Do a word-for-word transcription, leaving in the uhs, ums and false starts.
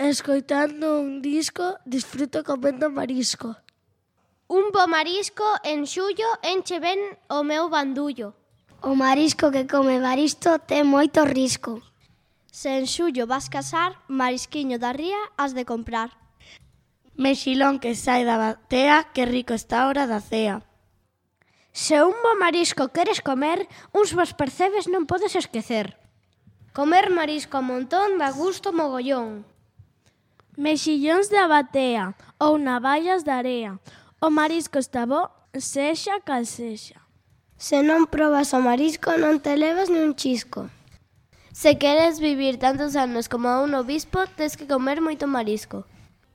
Escoitando un disco, disfruto comendo marisco. Un bo marisco en xullo enche ben o meu bandullo. O marisco que come Baristo ten moito risco. Se en xullo vas casar, marisquiño da ría has de comprar. Mexilón que sai da batea, que rico está a hora da cea. Se un bo marisco queres comer, uns bos percebes non podes esquecer. Comer marisco a montón dá gusto mogollón. Mexillóns da batea ou navallas da area. O marisco está bo, sexa cal sexa. Se non probas o marisco non te levas ni un chisco. Se queres vivir tantos anos como un obispo, tes que comer moito marisco.